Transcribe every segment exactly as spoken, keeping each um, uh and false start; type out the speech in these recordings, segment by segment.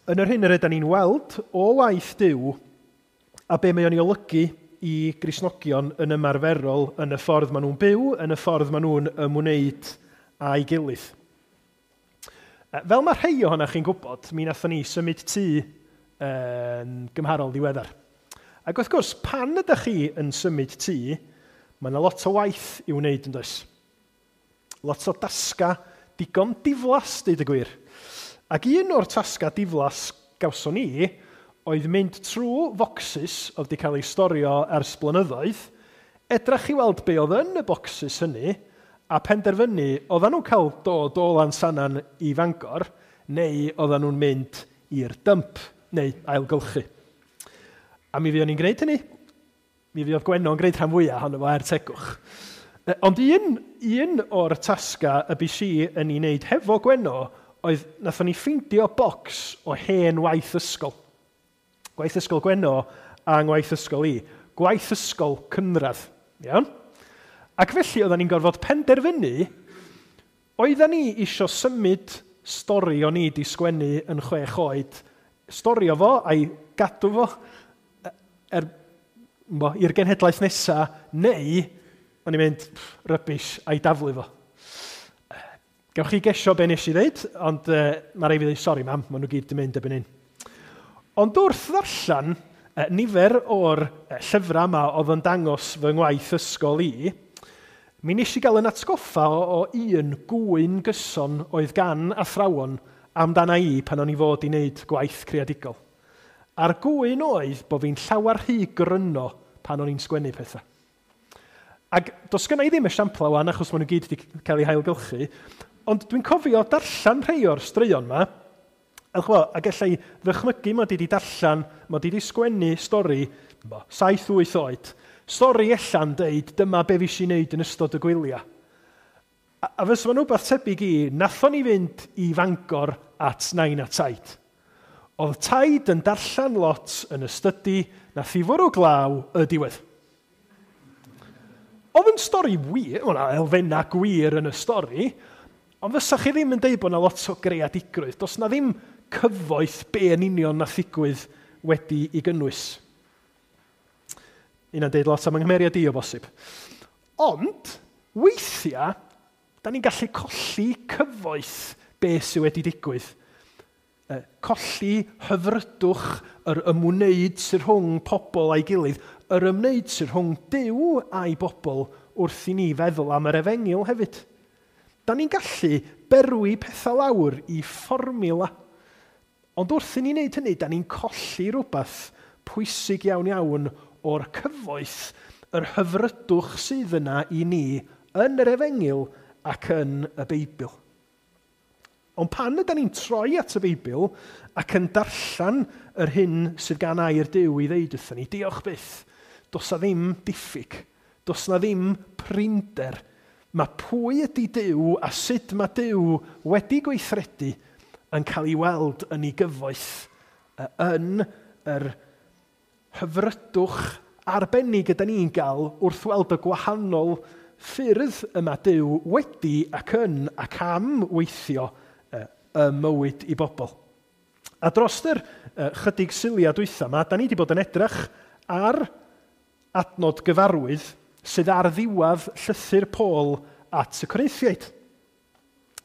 yn yr hyn yr ydyn ni'n weld o waith Duw a be mae o'n ei olygu i Gristnogion yn ymarferol yn y ffordd maen nhw'n byw, yn y ffordd maen nhw'n ymwneud â'i gilydd. Fel mae rhai ohonoch chi'n gwybod, mi nathon ni symud tŷ yn gymharol ddiweddar. Ac wrth gwrs, pan ydych chi yn symud tŷ, mae yna lot o waith i'w wneud yn does. Lot o dasga digon diflas, deud y gwir. Ac un o'r tasga diflas gawson ni oedd mynd trwy focsys oedd wedi cael eu storio ers blynyddoedd, edrach i weld be oedd yn y bocsys hynny, a penderfynu oedden nhw'n cael dod o Lansannan i Fangor, neu oedden nhw'n mynd i'r dump, neu ailgylchu. A mi fuon ni'n gwneud hynny. Mi fuodd Gwenno yn gwneud rhan fwyaf ohono fo er tegwch. Ond un, un o'r tasga y bys i yn ei wneud hefo Gwenno oedd nathon ni ffeindio bocs o hen waith ysgol. Gwaith ysgol Gwenno a ngwaith ysgol i. Gwaith ysgol cynradd. Iawn? Ac felly oedden ni'n gorfod penderfynu, oedden ni isio symud stori o'n i di sgwennu yn chwech oed, storio fo a'i gadw fo er, bo, i'r genhedlaeth nesaf, neu o'n i'n mynd, rubbish, a'i daflu fo. Gewch chi gesio be nes i ddeud, ond uh, mae rhaid fi ddeud, sori mam, maen nhw gyd di mynd erbyn hyn. Ond wrth ddarllen uh, nifer o'r uh, llyfrau yma oedd yn dangos fy ngwaith ysgol i, mi nes i gael yn atgoffa o, o un gwyn gyson oedd gan athrawon amdana i pan o'n i fod i wneud gwaith creadigol. A'r gwyn oedd bod fi'n llawer rhy gryno pan o'n i'n sgwennu pethau. Ac does gynna i ddim esiamplau wan, achos maen nhw gyd wedi cael eu hailgylchu, ond dwi'n cofio darllen rhai o'r straeon yma, a ch'bo, ac ella i ddychmygu mod i wedi darllen, mod i wedi sgwennu stori, bo, saith wyth oed, stori ella'n deud dyma be fi i wneud yn ystod y gwyliau. A, a fysa fo'n wbath tebyg i, nathon ni fynd i Fangor at nain a taid. Oedd taid yn darllen lot yn y stydi, nath i fwrw glaw y diwedd. Oedd yn stori wir, o na elfennau gwir yn y stori, ond fysa chi ddim yn deud bod na lot o greadigrwydd. Does na ddim cyfoeth be yn union nath ddigwydd wedi i gynnwys. Una'n deud lot am yng i o bosib. Ond, weithiau, da ni'n gallu colli cyfoeth be sydd wedi digwydd. Colli hyfrydwch yr ymwneud sydd rhwng pobl a'i gilydd, yr ymwneud sydd rhwng Duw a'i bobl wrth i ni feddwl am yr efengyl hefyd. Da ni'n gallu berwi pethau lawr i fformula. Ond wrth i ni wneud hynny, da ni'n colli rhywbeth pwysig iawn iawn o'r cyfoeth, yr hyfrydwch sydd yna i ni yn yr efengyl ac yn y Beibl. Ond pan ydyn ni'n troi at y Beibl ac yn darllen yr hyn sydd gan air Duw i ddeud wrthyn ni, diolch byth, does na ddim diffyg, does na ddim prinder. Mae pwy ydy Duw a sut mae Duw wedi gweithredu yn cael ei weld yn ei gyfoeth, yn yr hyfrydwch arbennig ydy ni'n gael wrth weld y gwahanol ffyrdd yma Duw wedi ac yn ac am weithio y mywyd i bobl. A dros yr chydig syliad dwytha yma, da ni wedi bod yn edrych ar adnod gyfarwydd sydd ar ddiwedd llythyr Paul at y Corinthiaid.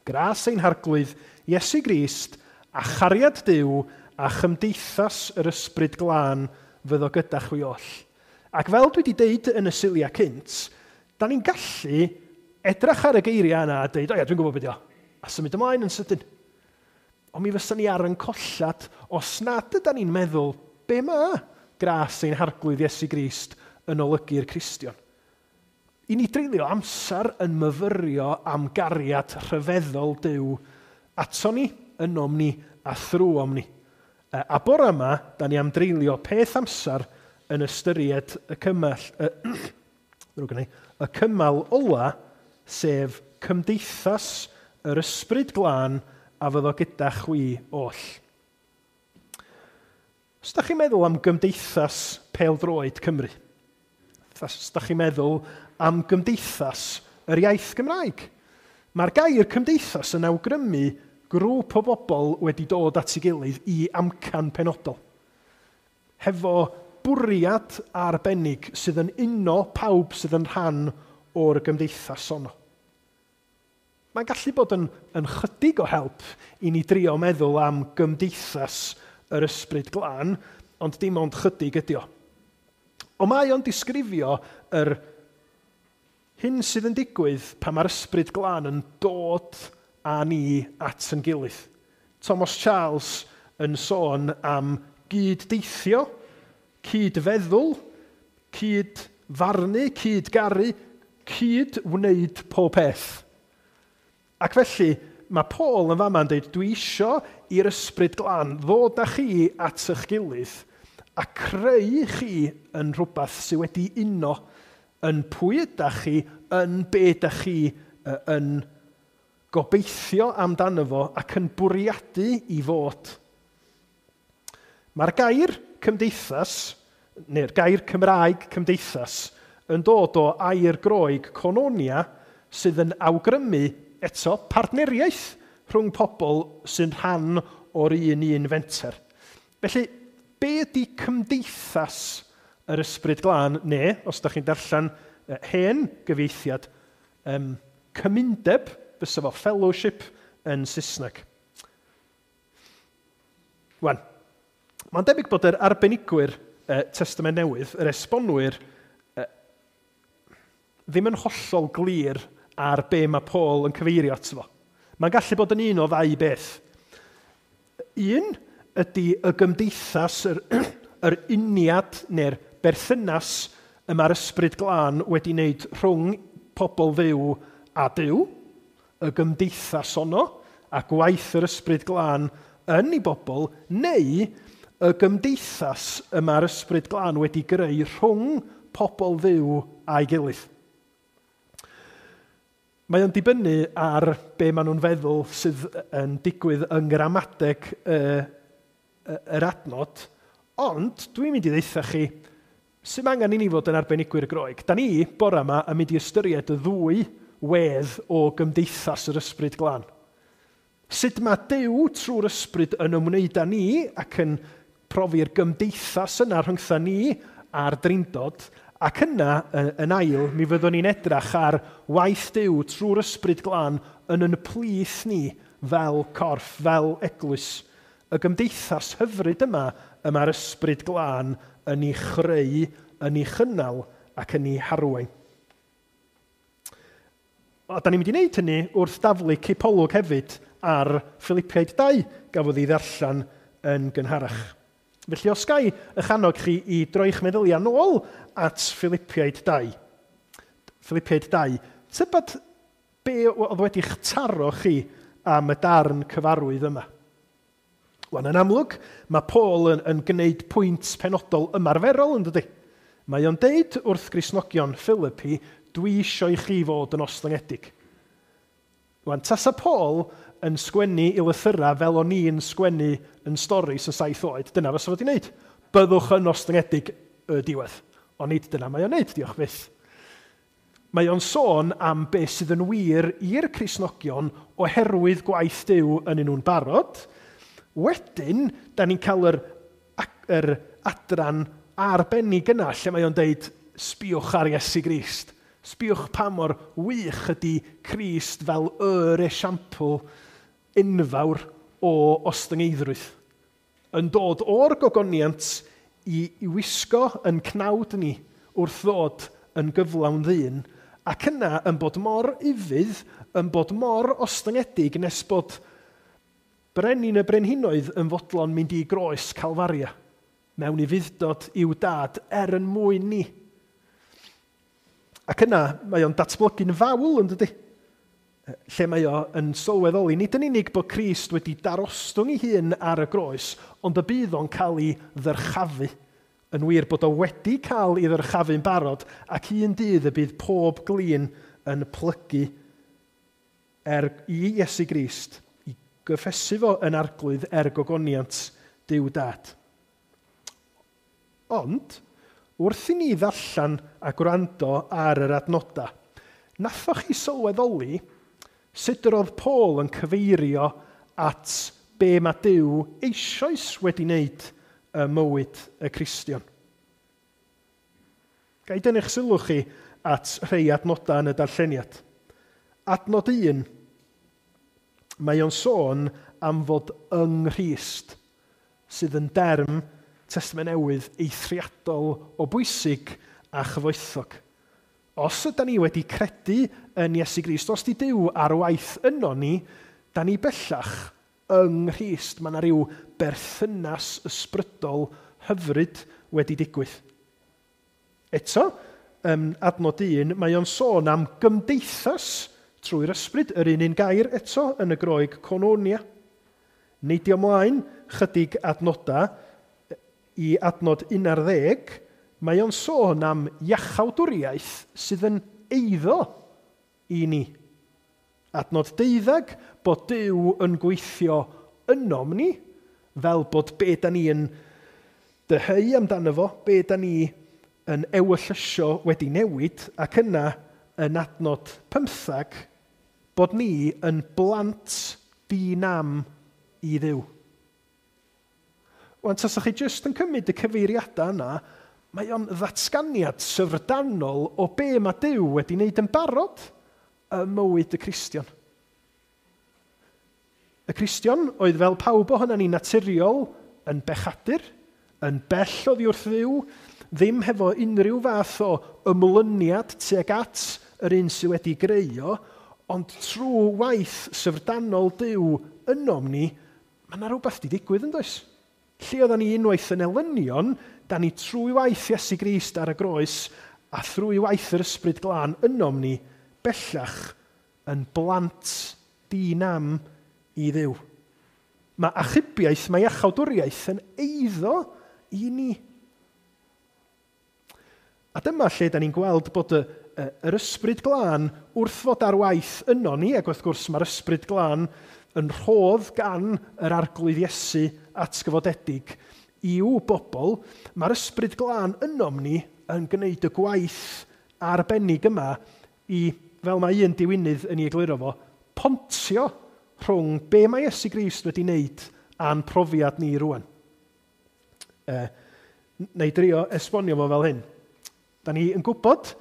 Gras ein harglwydd Iesu Grist a chariad Duw a chymdeithas yr ysbryd glân fyddo gyda chwi oll. Ac fel dwi wedi deud yn y syliau cynt, da ni'n gallu edrych ar y geiriau yna a deud, o ia, dwi'n gwybod beth yw, a symud ymlaen yn sydyn. Ond mi fysa ni ar yn collad os nad ydan ni'n meddwl be mae gras ein harglwydd Iesu Grist yn olygu'r Cristion. I ni dreulio amser yn myfyrio am gariad rhyfeddol Duw ato ni, ynom ni a thrwom ni. A bore yma, da ni am dreulio peth amser yn ystyried y cymell, y, y cymal ola, sef cymdeithas yr ysbryd glân a fyddo gyda chwi oll. Os da chi'n meddwl am gymdeithas pêl-droed Cymru, os da chi'n meddwl am gymdeithas yr iaith Gymraeg, mae'r gair cymdeithas yn awgrymu Grŵp o bobl wedi dod at ei gilydd i amcan penodol. Hefo bwriad arbennig sydd yn uno pawb sydd yn rhan o'r gymdeithas honno. Mae'n gallu bod yn, yn chydig o help i ni drio meddwl am gymdeithas yr Ysbryd Glân, ond dim ond chydig ydi o. Ond mae o'n disgrifio yr hyn sydd yn digwydd pan mae'r Ysbryd Glân yn dod â ni at yn gilydd. Thomas Charles yn sôn am gyd-deithio, cyd-feddwl, cyd-farnu, cyd-garu, cyd-wneud pob peth. Ac felly, mae Paul yn fama yn dweud, dwi isio i'r Ysbryd Glân ddod â chi at eich gilydd a creu chi yn rhywbeth sydd wedi uno yn pwy ydach chi, yn be ydach chi yn gobeithio amdano fo ac yn bwriadu i fod. Mae'r gair cymdeithas, neu'r gair Cymraeg cymdeithas, yn dod o air Groeg koinonia sydd yn awgrymu eto partneriaeth rhwng pobl sy'n rhan o'r un un fenter. Felly, be ydy cymdeithas yr Ysbryd Glân, neu, os ydych chi'n darllen hen gyfieithiad, um, cymundeb, fysa fo fellowship yn Saesneg. Wan, mae'n debyg bod yr arbenigwyr eh, Testament Newydd, yr esbonwyr, eh, ddim yn hollol glir ar be mae Paul yn cyfeirio ato fo. Mae'n gallu bod yn un o ddau beth. Un ydy y gymdeithas, yr, yr uniad neu'r berthynas y mae'r Ysbryd Glân wedi wneud rhwng pobl Dduw a Duw, y gymdeithas honno, a gwaith yr Ysbryd Glân yn ei bobl, neu y gymdeithas y mae'r Ysbryd Glân wedi greu rhwng pobl Dduw a'i gilydd. Mae o'n dibynnu ar be maen nhw'n feddwl sydd yn digwydd yng ngramadeg y, y, yr adnod, ond dwi'n mynd i ddeutha chi sy'n angen i ni fod yn arbenigwyr Groeg. Da ni, bore yma, yn mynd i ystyried y ddwy wedd o gymdeithas yr Ysbryd Glân. Sut mae Duw trwy'r Ysbryd yn ymwneud â ni ac yn profi'r gymdeithas yna rhyngtha ni a'r Drindod, ac yna, yn ail, mi fyddwn ni'n edrach ar waith Duw trwy'r Ysbryd Glân yn yn plith ni fel corff, fel eglwys. Y gymdeithas hyfryd yma y mae'r Ysbryd Glân yn ei chreu, yn ei chynnal ac yn ei harwain. A da ni'n mynd i wneud hynny wrth daflu cipolwg hefyd ar Philippiaid dau gafodd ei ddarllen yn gynharach. Felly os gai eich annog chi i droi'ch meddyliau nôl at Philippiaid dau. Philippiaid dau. Tybed be oedd wedi'ch taro chi am y darn cyfarwydd yma? Wan, yn amlwg, mae Paul yn, yn gwneud pwynt penodol ymarferol, yn dydy? Mae o'n deud wrth Gristnogion Philippi, dwi isio i chi fod yn ostyngedig. Wan, tasa Paul yn sgwennu i lythyrau fel o'n i'n sgwennu yn storis yn saith oed, dyna fysa fo wedi wneud. Byddwch yn ostyngedig y diwedd. Ond nid dyna mae o'n wneud, diolch byth. Mae o'n sôn am beth sydd yn wir i'r Cristnogion oherwydd gwaith Duw yn nhw'n barod. Wedyn, da ni'n cael yr, yr adran arbennig yna lle mae o'n deud, sbiwch ar Iesu Grist. Sbiwch pa mor wych ydy Crist fel yr esiampl enfawr o ostyngeiddrwydd. Yn dod o'r gogoniant i, i wisgo yn cnawd ni wrth ddod yn gyflawn ddyn, ac yna yn bod mor ufudd, yn bod mor ostyngedig nes bod brenin y brenhinoedd yn fodlon mynd i groes Calfaria, mewn ufudd-dod i'w dad er yn mwyn ni. Ac yna mae o'n datblygu'n fawl, yn dydy? Lle mae o yn sylweddoli, nid yn unig bod Crist wedi darostwng ei hun ar y groes, ond y bydd o'n cael ei ddyrchafu. Yn wir bod o wedi cael ei ddyrchafu'n barod, ac un dydd y bydd pob glin yn plygu er i Iesu Grist, i gyffesu fo yn arglwydd er gogoniant Duw Dad. Ond, wrth i ni ddarllen a gwrando ar yr adnodau, nathoch chi sylweddoli sut yr oedd Paul yn cyfeirio at be mae Duw eisoes wedi wneud ym mywyd y Cristion. Ga i dynnu'ch sylw chi at rhai adnodau yn y darlleniad. Adnod un, mae o'n sôn am fod yng Nghrist, sydd yn derm Testament Newydd eithriadol o bwysig a chyfoethog. Os ydy ni wedi credu yn Iesu Grist, os di Duw ar waith yno ni, da ni bellach yng Nghrist. Mae yna rhyw berthynas ysbrydol hyfryd wedi digwydd. Eto, um, adnod un, mae o'n sôn am gymdeithas trwy'r ysbryd, yr un un gair eto yn y Groeg koinonia. Neidio ymlaen chydig adnodau i adnod un ar ddeg, mae o'n sôn am iachawdwriaeth sydd yn eiddo i ni. Adnod deuddeg, bod Duw yn gweithio ynom ni, fel bod be da ni yn dyheu amdano fo, be da ni yn ewyllysio wedi newid, ac yna yn adnod pymthag, bod ni yn blant di-nam i Dduw. Wan, tasach chi jyst yn cymryd y cyfeiriadau yna, mae o'n ddatganiad syfrdanol o be mae Duw wedi wneud yn barod ym mywyd y Cristion. Y Cristion oedd fel pawb ohonan ni naturiol yn bechadur, yn bell oddi wrth Dduw, ddim hefo unrhyw fath o ymlyniad tuag at yr un sydd wedi greu o, ond trwy waith syfrdanol Duw ynom ni, mae yna rhywbeth wedi digwydd yn does? Lle oedden ni unwaith yn elynion, da ni trwy waith Iesu Grist ar y groes a thrwy waith yr Ysbryd Glân ynom ni, bellach yn blant di-nam i Dduw. Mae achubiaeth, mae iachawdwriaeth yn eiddo i ni. A dyma lle da ni'n gweld bod y, y, yr Ysbryd Glân wrth fod ar waith yno ni, ac wrth gwrs mae'r Ysbryd Glân yn rhodd gan yr Arglwydd Iesu atgyfodedig i'w bobl, mae'r Ysbryd Glân ynom ni yn gwneud y gwaith arbennig yma i, fel mae un diwinydd yn ei egluro fo, pontio rhwng be mae Iesu Grist wedi wneud a'n profiad ni rwan. E, na i drio esbonio fo fel hyn. Da ni yn gwybod,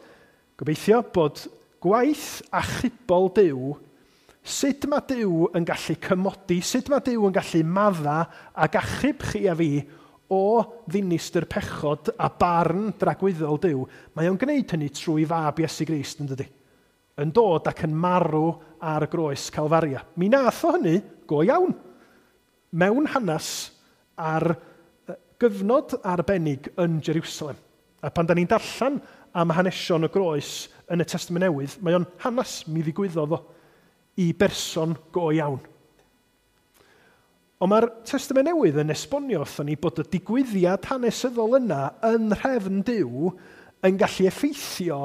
gobeithio, bod gwaith achubol Duw, sut mae Duw yn gallu cymodi, sut mae Duw yn gallu madda ac achub chi a fi o ddinistr pechod a barn dragwyddol Duw, mae o'n gwneud hynny trwy fab Iesu Grist, yn dydi? Yn dod ac yn marw ar y groes Calfaria. Mi nath o hynny go iawn, mewn hanes ar gyfnod arbennig yn Jerusalem. A pan da ni'n darllen am hanesion y groes yn y Testament Newydd, mae o'n hanes mi ddigwyddodd o i berson go iawn. Ond mae'r Testament Newydd yn esbonio wrthon ni bod y digwyddiad hanesyddol yna yn nhrefn Duw yn gallu effeithio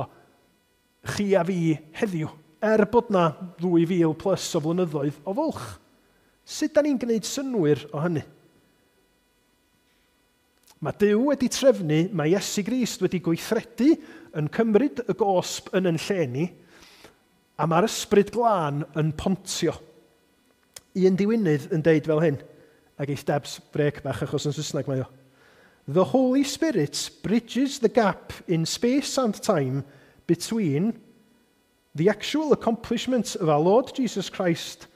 chi a fi heddiw, er bod na ddwy fil plus o flynyddoedd o fwlch. Sut da ni'n gwneud synnwyr o hynny? Mae Duw wedi trefnu, mae Iesu Grist wedi gweithredu yn cymryd y gosb yn yn lle ni, a mae'r Ysbryd Glân yn pontio. Un diwinydd yn deud fel hyn, a geith Debs brec bach achos yn Saesneg mae o. The Holy Spirit bridges the gap in space and time between the actual accomplishment of our Lord Jesus Christ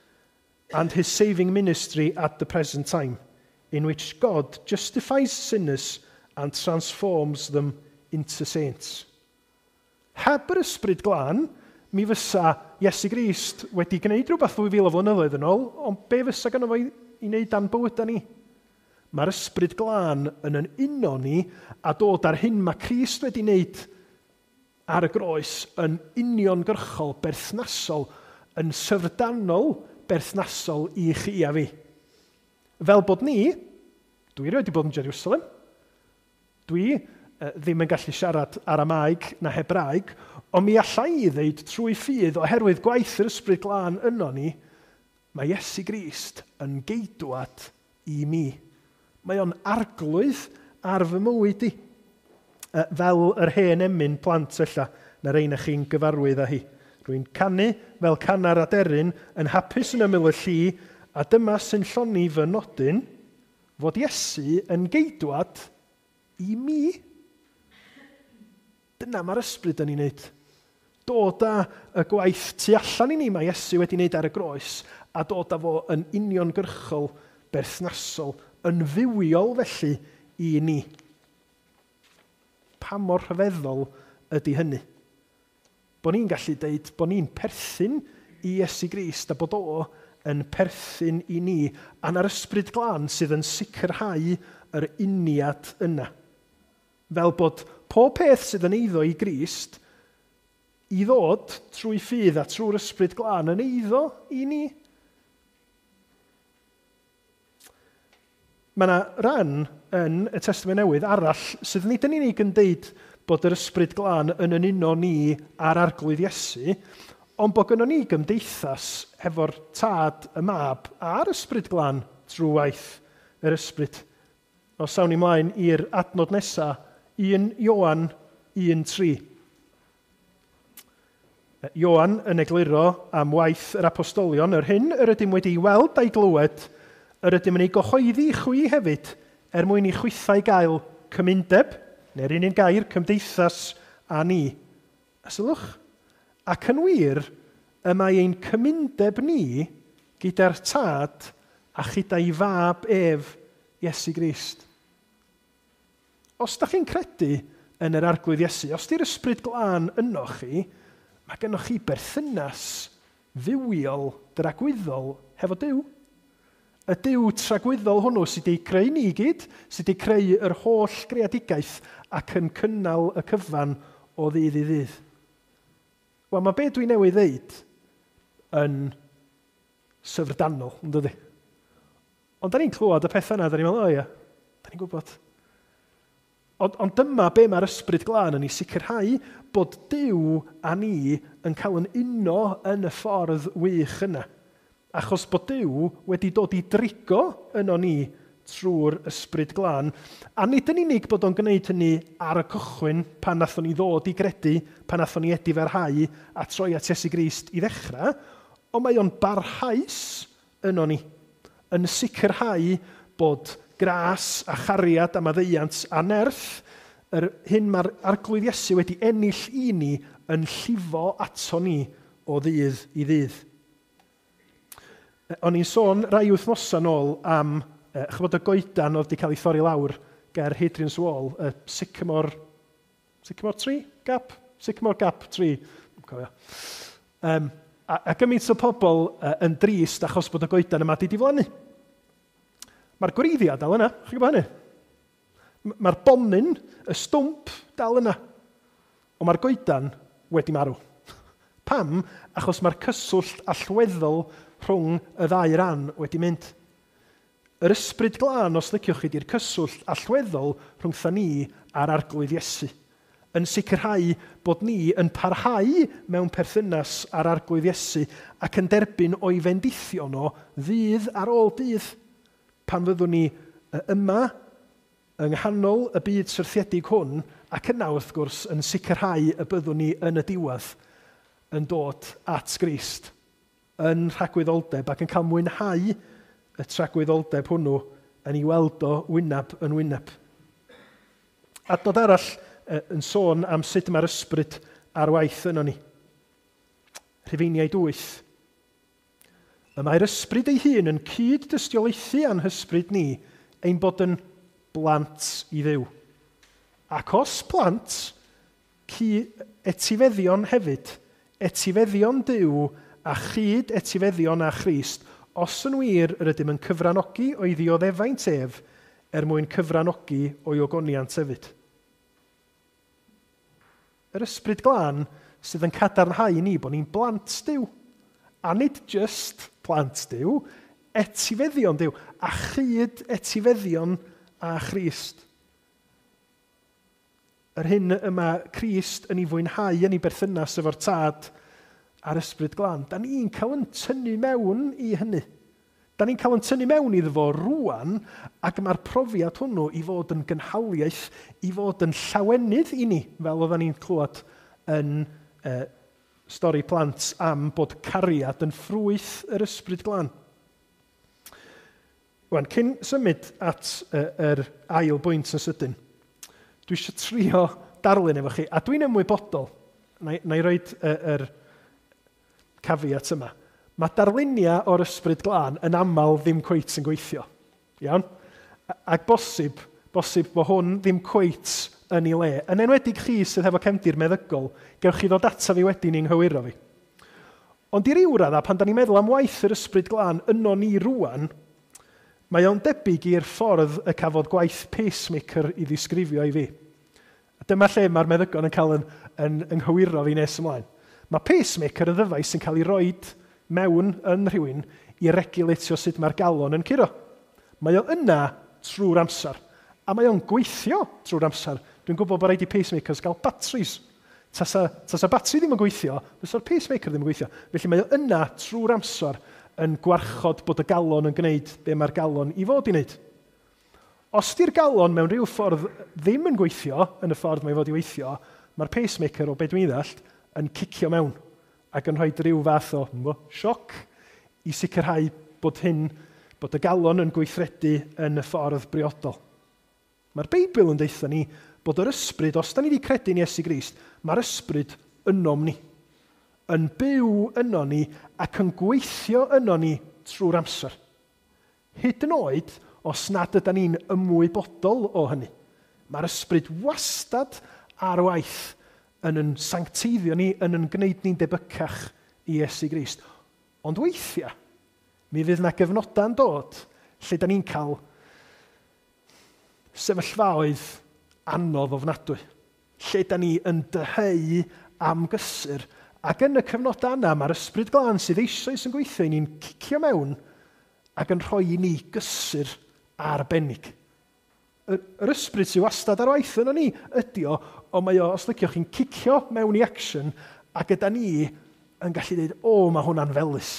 and his saving ministry at the present time, in which God justifies sinners and transforms them into saints. Heb yr Ysbryd Glân, mi fysa Iesu Grist wedi gwneud rhywbeth ddwy fil o flynyddoedd yn ôl, ond be fysa gynno fo i, i wneud dan bywydau ni? Mae'r Ysbryd Glân yn yn uno ni a dod ar hyn mae Crist wedi wneud ar y groes yn uniongyrchol, berthnasol, yn syfrdanol berthnasol i chi a fi. Fel bod ni, dwi erioed wedi bod yn Jerusalem, dwi eh, ddim yn gallu siarad Aramaeg na Hebraeg, ond mi alla i ddeud trwy ffydd oherwydd gwaith yr Ysbryd Glân yno ni, mae Iesu Grist yn geidwad i mi. Mae o'n arglwydd ar fy mywyd i. Fel yr hen emyn plant ella, na rei na chi'n gyfarwydd â hi. Rwy'n canu fel canar aderyn, yn hapus yn ymyl y lli, A dyma sy'n llonni fy nodyn, fod Iesu yn geidwad i mi. Dyna mae'r ysbryd yn ei wneud. Dod â y gwaith tu allan i ni mae Iesu wedi wneud ar y groes a dod â fo yn uniongyrchol, berthnasol, yn fywiol felly i ni. Pa mor rhyfeddol ydy hynny? Bo ni'n gallu deud bo ni'n perthyn i Iesu Grist a bod o yn perthyn i ni, a na'r ysbryd glân sydd yn sicrhau yr uniad yna. Fel bod pob peth sydd yn eiddo i Grist i ddod trwy ffydd a trwy'r ysbryd glân yn eiddo i ni. Mae yna ran yn y Testament Newydd arall sydd nid yn unig yn deud bod yr ysbryd glân yn yn uno ni a'r Arglwydd Iesu, ond bod gynnon ni gymdeithas hefo'r Tad, y Mab a'r Ysbryd Glân trwy waith yr Ysbryd. Os awn ni mlaen i'r adnod nesaf, un Ioan un tri. Ioan yn egluro am waith yr apostolion, yr hyn yr ydym wedi weld a'i glywed, yr ydym yn ei gyhoeddi i chwi hefyd, er mwyn i chwithau gael cymundeb, neu'r un un gair, cymdeithas â ni. A sylwch, ac yn wir, y mae ein cymundeb ni gyda'r Tad a chyda'i Fab ef, Iesu Grist. Os da chi'n credu yn yr Arglwydd Iesu, os di'r Ysbryd Glân yno chi, mae gennych chi berthynas fywiol, dragwyddol hefo Duw. Y Duw tragwyddol hwnnw sydd wedi creu ni i gyd, sydd wedi creu yr holl greadigaeth ac yn cynnal y cyfan o ddydd i ddydd. Wel, mae be dwi newydd ddeud yn syfrdanol, yn dydi? Ond da ni'n clywed y pethau yna, da ni'n meddwl, o ia, da ni'n gwybod. Ond, ond dyma be mae'r Ysbryd Glân yn ei sicrhau, bod Duw a ni yn cael yn uno yn y ffordd wych yna. Achos bod Duw wedi dod i drigo yno ni trwy'r Ysbryd Glân. A nid yn unig bod o'n gwneud hynny ar y cychwyn pan nathon ni ddod i gredu, pan nathon ni edifarhau a troi at Iesu Grist i ddechrau, ond mae o'n barhaus yno ni, yn sicrhau bod gras a chariad a maddeuant a nerth, yr hyn mae'r Arglwydd Iesu wedi ennill i ni yn llifo ato ni o ddydd i ddydd. O'n i'n sôn rai wythnosau nôl am chybod y goedan oedd wedi cael ei thorri lawr ger Hadrian's Wall, y Sycamore, Sycamore Tree? Gap? Sycamore Gap Tree. Cofio. Um, a, a gymaint o pobl uh, yn drist achos bod y goedan yma wedi diflannu. Mae'r gwreiddiau dal yna, chi'n gwybod hynny? Mae'r bonyn, y stwmp, dal yna. Ond mae'r goedan wedi marw. Pam? Achos mae'r cyswllt allweddol rhwng y ddau ran wedi mynd. Yr Ysbryd Glân, os liciwch chi, di'r cyswllt allweddol rhwngtha ni a'r Arglwydd Iesu, yn sicrhau bod ni yn parhau mewn perthynas â'r Arglwydd Iesu ac yn derbyn o'i fendithion o ddydd ar ôl dydd. Pan fyddwn ni yma yng nghanol y byd syrthiedig hwn, ac yna wrth gwrs yn sicrhau y byddwn ni yn y diwedd yn dod at Grist, yn rhagwyddoldeb ac yn cael mwynhau y tragwyddoldeb hwnnw yn ei weld o wyneb yn wyneb. Adnod arall yn sôn am sut mae'r ysbryd ar waith yno ni. Rhufeiniaid wyth. Y mae'r ysbryd ei hun yn cyd-dystiolaethu a'n hysbryd ni ein bod yn blant i Dduw. Ac os plant, etifeddion hefyd, etifeddion Duw a chyd etifeddion â Christ, os yn wir yr ydym yn cyfranogi o'i ddioddefaint ef, er mwyn cyfranogi o'i ogoniant hefyd. Yr Ysbryd Glân sydd yn cadarnhau ni bod ni'n blant Duw. A nid just plant Duw, etifeddion Duw, a chyd etifeddion â Christ. Yr hyn y mae Crist yn ei fwynhau yn ei berthynas efo'r Tad a'r Ysbryd Glân, da ni'n cael yn tynnu mewn i hynny. Da ni'n cael yn tynnu mewn iddo fo rŵan, ac mae'r profiad hwnnw i fod yn gynhaliaeth, i fod yn llawenydd i ni, fel oedden ni'n clywed yn eh, stori plant am bod cariad yn ffrwyth yr Ysbryd Glân. Wan, cyn symud at uh, yr ail bwynt yn sydyn, dwi eisiau trio darlun efo chi, a dwi'n ymwybodol, na, na i roed yr uh, caveat yma, mae darluniau o'r Ysbryd Glân yn aml ddim cweit yn gweithio. Iawn? Ac bosib, bosib bod hwn ddim cweit yn ei le. Yn enwedig chi sydd hefo cefndir meddygol, gewch chi ddod ata fi wedyn i'n nghywiro fi. Ond i ryw radda, pan da ni'n meddwl am waith yr Ysbryd Glân yno ni rwan, mae o'n debyg i'r ffordd y cafodd gwaith pacemaker i ddisgrifio i fi. A dyma lle mae'r meddygon yn cael yn, yn, yn nghywiro fi nes ymlaen. Mae pacemaker yn ddyfais sy'n cael ei roed mewn yn rhywun i regulatio sut mae'r galon yn curo. Mae o yna trwy'r amser. A mae o'n gweithio trwy'r amser. Dwi'n gwybod bod rhaid i pacemakers gael batteries. Tasa, tasa batri ddim yn gweithio, fysa'r pacemaker ddim yn gweithio. Felly mae o yna trwy'r amser yn gwarchod bod y galon yn gwneud be mae'r galon i fod i wneud. Os di'r galon mewn rhyw ffordd ddim yn gweithio, yn y ffordd mae i fod i weithio, mae'r pacemaker, o be dwi'n ddallt, yn cicio mewn ac yn rhoi rhyw fath o mbo, sioc i sicrhau bod hyn, bod y galon yn gweithredu yn y ffordd briodol. Mae'r Beibl yn deutha ni bod yr ysbryd, os da ni wedi credu yn Iesu Grist, mae'r ysbryd ynom ni, yn byw yno ni ac yn gweithio yno ni trwy'r amser. Hyd yn oed os nad ydy ni'n ymwybodol o hynny. Mae'r ysbryd wastad ar waith yn yn sancteiddio ni, yn yn gwneud ni'n debycach i Iesu Grist. Ond weithiau, mi fydd yna gyfnodau'n dod lle da ni'n cael sefyllfaoedd anodd ofnadwy. Lle da ni yn dyheu am gysur. Ac yn y cyfnodau yna, mae'r Ysbryd Glân sydd eisoes yn gweithio i ni'n cicio mewn ac yn rhoi i ni gysur arbennig. Yr, yr ysbryd sydd wastad ar waith yno ni ydy o, ond mae o, os liciwch chi'n cicio mewn i action, a gyda ni yn gallu dweud, o, mae hwnna'n felys.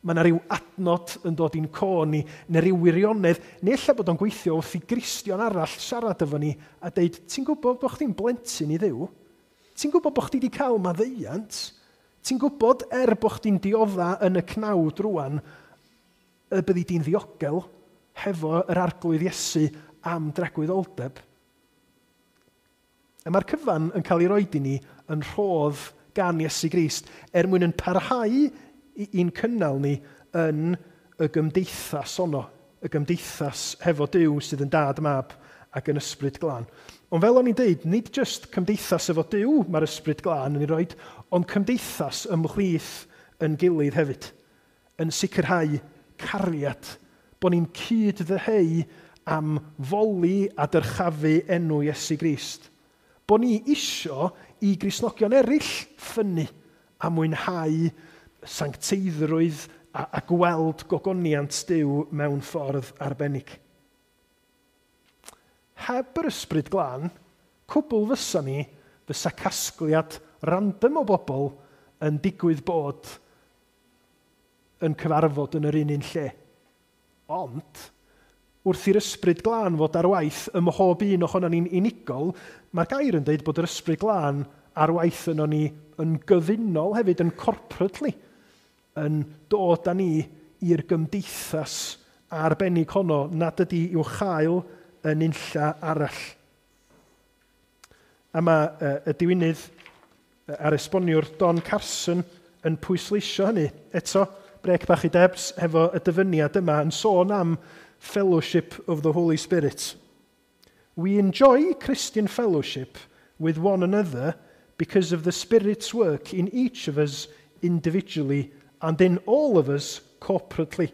Mae yna rhyw adnod yn dod i'n co ni, neu rhyw wirionedd, neu ella bod o'n gweithio wrth i Gristion arall siarad efo ni a dweud, ti'n gwybod bod chdi'n blentyn i Dduw? Ti'n gwybod bod chdi wedi cael maddeuant? Ti'n gwybod er bod chdi'n diodda yn y cnawd rwan, y byddi di'n ddiogel hefo yr Arglwydd Iesu am dragwyddoldeb? A mae'r cyfan yn cael ei roed i ni yn rhodd gan Iesu Grist er mwyn yn parhau i'n cynnal ni yn y gymdeithas honno, y gymdeithas hefo Duw sydd yn Dad, Mab ac yn Ysbryd Glân. Ond fel o'n i'n deud, nid jyst cymdeithas efo Duw mae'r Ysbryd Glân yn ei roed, ond cymdeithas ymhlith yn gilydd hefyd, yn sicrhau cariad, bod ni'n cyd-ddyheu am foli a dyrchafu enw Iesu Grist. Bod ni isio i Gristnogion eraill ffynnu a mwynhau sancteiddrwydd a, a gweld gogoniant Duw mewn ffordd arbennig. Heb yr Ysbryd Glân, cwbl fysa ni, fysa casgliad random o bobl yn digwydd bod yn cyfarfod yn yr un un lle. Ond, wrth i'r Ysbryd Glân fod ar waith ym mhob un ohono ni'n unigol, mae'r gair yn dweud bod yr Ysbryd Glân ar waith yno ni yn gyfunol hefyd, yn corporately, yn dod â ni i'r gymdeithas arbennig honno nad ydy i'w chael yn unlla arall. A mae uh, y diwinydd a'r esboniwr Don Carson yn pwysleisio hynny. Eto, brec bach i Debs hefo y dyfyniad yma yn sôn am fellowship of the Holy Spirit. We enjoy Christian fellowship with one another because of the Spirit's work in each of us individually and in all of us corporately,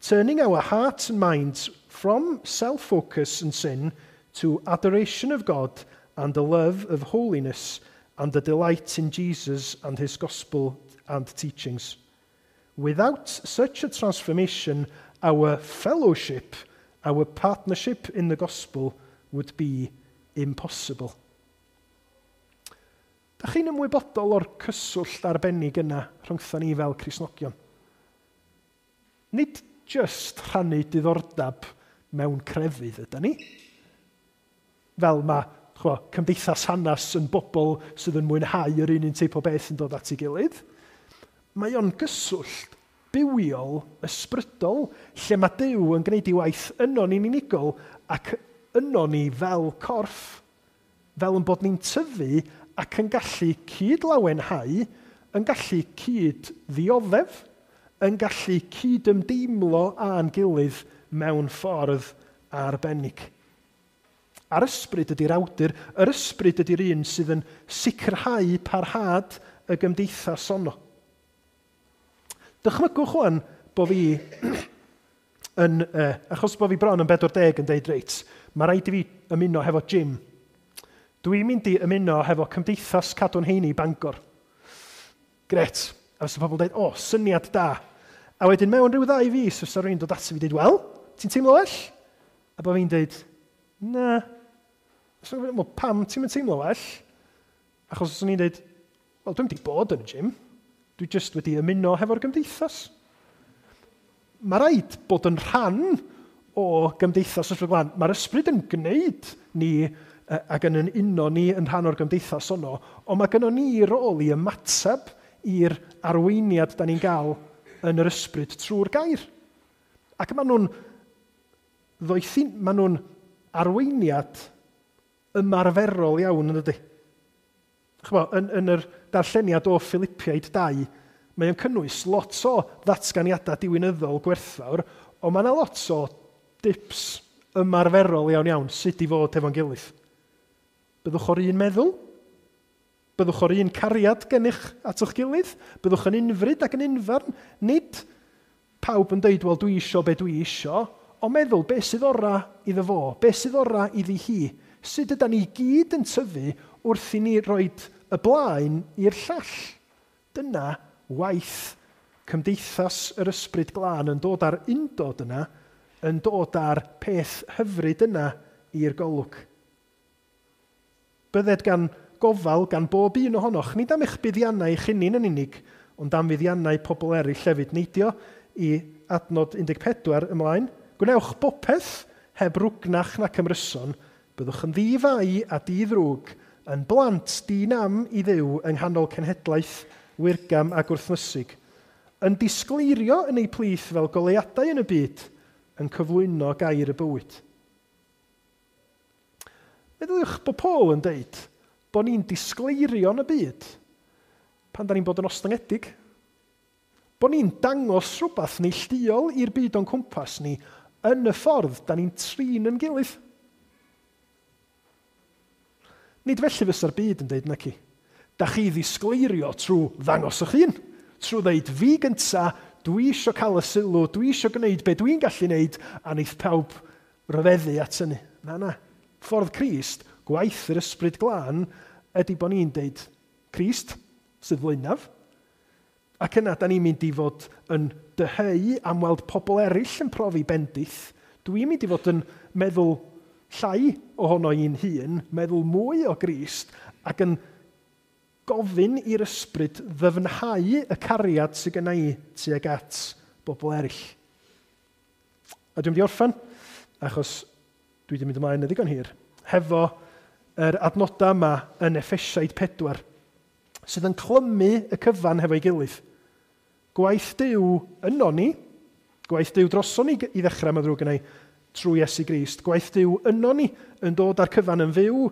turning our hearts and minds from self-focus and sin to adoration of God and the love of holiness and the delight in Jesus and his gospel and teachings. Without such a transformation, our fellowship, our partnership in the gospel would be impossible. Da chi'n ymwybodol o'r cyswllt arbennig yna rhyngtho ni fel Cristnogion? Nid just rhannu diddordeb mewn crefydd ydy ni. Fel mae chwa, cymdeithas hanes yn bobl sydd yn mwynhau yr un un teip o beth yn dod at ei gilydd. Mae o'n gyswllt bywiol, ysbrydol, lle mae Duw yn gwneud ei waith yno ni'n unigol ac yno ni fel corff, fel yn bod ni'n tyfu ac yn gallu cyd-lawenhau, yn gallu cyd-ddioddef, yn gallu cyd-ymdeimlo â'n gilydd mewn ffordd arbennig. A'r ysbryd ydy'r awdur, yr ysbryd ydy'r un sydd yn sicrhau parhad y gymdeithas honno. Dychmygwch wan bo fi yn, eh, achos bo fi bron yn bedwar deg yn deud reit, mae rhaid i fi ymuno hefo gym. Dwi'n mynd i ymuno hefo Cymdeithas Cadw'n Heini Bangor. Gret. A fysa pobl yn dweud, o, syniad da. A wedyn mewn rhyw ddau fis, fysa rhywun dod ato fi dweud, wel, ti'n teimlo well? A bo fi'n dweud, na. So, well, pam ti'n mynd teimlo well? Achos os o'n i'n dweud, wel, dwi'n wedi bod yn y gym. Dwi jyst wedi ymuno hefo'r gymdeithas. Mae rhaid bod yn rhan o gymdeithas Ysbryd Glân. Mae'r ysbryd yn gwneud ni ac yn uno ni yn rhan o'r gymdeithas honno, ond mae gynnon ni rôl i ymateb i'r arweiniad da ni'n gael yn yr ysbryd trwy'r gair. Ac maen nhw'n ddoethin, maen nhw'n arweiniad ymarferol iawn yn dydy. Ch'mo, yn, yn yr darlleniad o Philippiaid dau, mae o'n cynnwys lot o ddatganiadau diwinyddol gwerthfawr, ond mae yna lot o dips ymarferol iawn iawn sut i fod efo'n gilydd. Byddwch o'r un meddwl, byddwch o'r un cariad gennych at eich gilydd, byddwch yn unfryd ac yn unfarn. Nid pawb yn deud, wel, dwi isio be dwi isio, ond meddwl be sydd ora iddo fo, be sydd ora iddi hi. Sut ydan ni gyd yn tyfu wrth i ni roed y blaen i'r llall. Dyna waith cymdeithas yr Ysbryd Glân yn dod ar undod yna, yn dod ar peth hyfryd yna i'r golwg. Bydded gan gofal gan bob un ohonoch, nid am eich buddiannau eich hunain yn unig, ond am fuddiannau pobl eraill hefyd. Neidio i adnod un deg pedwar ymlaen. Gwnewch bopeth heb rwgnach nac ymryson, byddwch yn ddi-fai a di-ddrwg, yn blant di-nam i Dduw yng nghanol cenhedlaeth wirgam a gwrthnysig, yn disgleirio yn eu plith fel goleuadau yn y byd, yn cyflwyno gair y bywyd. Meddyliwch bod Paul yn deud bod ni'n disgleirio yn y byd pan da ni'n bod yn ostyngedig. Bod ni'n dangos rhywbeth neilltuol i'r byd o'n cwmpas ni yn y ffordd da ni'n trin yn gilydd. Nid felly fysa'r byd yn deud naci. Da chi ddisgleirio trwy ddangos eich hun, trwy ddeud fi gynta, dwi isio cael y sylw, dwi isio gwneud be dwi'n gallu gwneud, a wneith pawb ryfeddu at hynny. Na, na. Ffordd Crist, gwaith yr Ysbryd Glân, ydy bod ni'n deud Crist sydd flaenaf, ac yna da ni'n mynd i fod yn dyheu am weld pobl eraill yn profi bendith. Dwi'n mynd i fod yn meddwl llai ohono i'n hun, meddwl mwy o Grist, ac yn gofyn i'r ysbryd ddyfnhau y cariad sydd genna i tuag at bobl eraill. A dwi'n mynd i orffen, achos dwi wedi mynd ymlaen yn ddigon hir, hefo yr adnodau yma yn Effesiaid pedwar, sydd yn clymu y cyfan hefo'i gilydd. Gwaith Duw yno ni, gwaith Duw droson ni i ddechrau, mae ddrwg gennau, trwy Iesu Grist. Gwaith Duw yno ni yn dod â'r cyfan yn fyw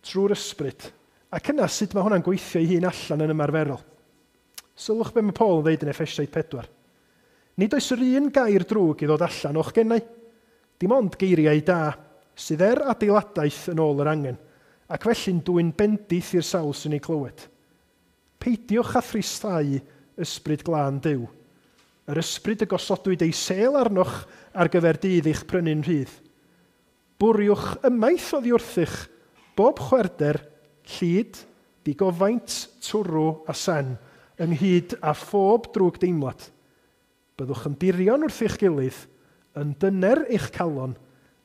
trwy'r ysbryd. Ac yna sut mae hwnna'n gweithio ei hun allan yn ymarferol. Sylwch be mae Paul yn dweud yn Effesiaid pedwar. Nid oes yr un gair drwg i ddod allan o'ch gennau. Dim ond geiriau da sydd er adeiladaeth yn ôl yr angen, ac felly'n dwyn bendith i'r sawl sy'n ei clywed. Peidiwch â thristau ysbryd glân Duw. Yr ysbryd y gosodwyd ei sêl arnoch ar gyfer dydd eich prynu'n rhydd. Bwriwch ymaith oddi wrthych bob chwerder, llid, digofaint, twrw a sen, ynghyd â phob drwg deimlad. Byddwch yn dirion wrth eich gilydd, yn dyner eich calon,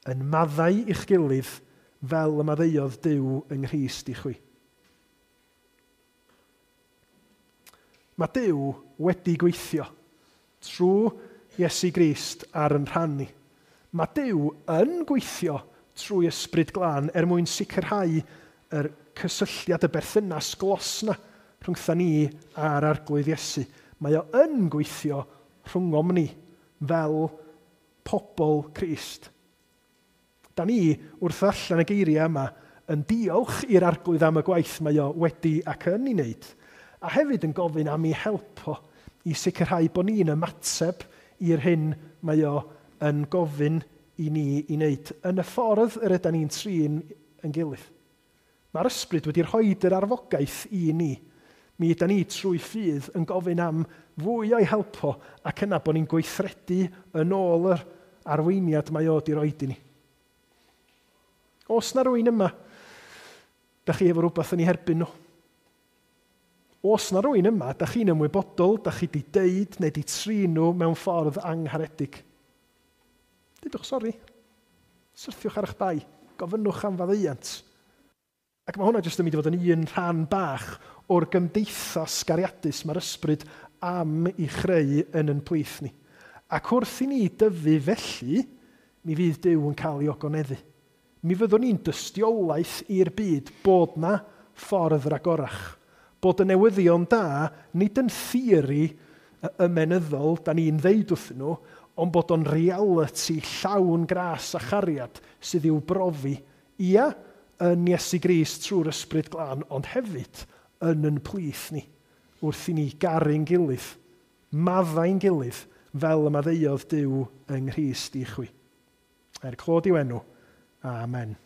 yn maddau eich gilydd, fel y maddeuodd Duw yng Nghrist i chwi. Mae Duw wedi gweithio trwy Iesu Grist ar yn rhan ni. Mae Duw yn gweithio trwy Ysbryd Glân er mwyn sicrhau yr cysylltiad, y berthynas glos na rhwngtha ni a'r Arglwydd Iesu. Mae o yn gweithio rhwngom ni fel pobl Crist. Da ni, wrth allan y geiriau yma, yn diolch i'r Arglwydd am y gwaith mae o wedi ac yn ei wneud, a hefyd yn gofyn am ei help o i sicrhau bod ni'n ymateb i'r hyn mae o yn gofyn i ni i wneud yn y ffordd yr ydan ni'n trin yn gilydd. Mae'r ysbryd wedi rhoi yr arfogaeth i ni. Mi ydan ni trwy ffydd yn gofyn am fwy o'i help o ac yna bod ni'n gweithredu yn ôl yr arweiniad mae o wedi roed i ni. Os na rywun yma, da chi efo rhywbeth yn ei herbyn nhw. Os na rywun yma, da chi'n ymwybodol, da chi di deud neu di trin nhw mewn ffordd angharedig. Dudwch sori. Syrthiwch ar eich bai. Gofynnwch am faddeuant. Ac mae hwnna jyst yn mynd i fod yn un rhan bach o'r gymdeithas gariadus mae'r ysbryd am i chreu yn yn plith ni. Ac wrth i ni dyfu felly, mi fydd Duw yn cael ei ogoneddu. Mi fyddwn ni'n dystiolaeth i'r byd bod na ffordd ragorach. Bod y newyddion da, nid yn theori ymenyddol, da ni'n ddeud wrthyn nhw, ond bod o'n reality llawn gras a chariad sydd i'w brofi. Ia, yn Iesu Grist trwy'r Ysbryd Glân, ond hefyd yn yn plith ni, wrth i ni garu'n gilydd, maddau'n gilydd, fel y maddeuodd Duw yng Nghrist i chwi. Er clod i'w enw. Amen.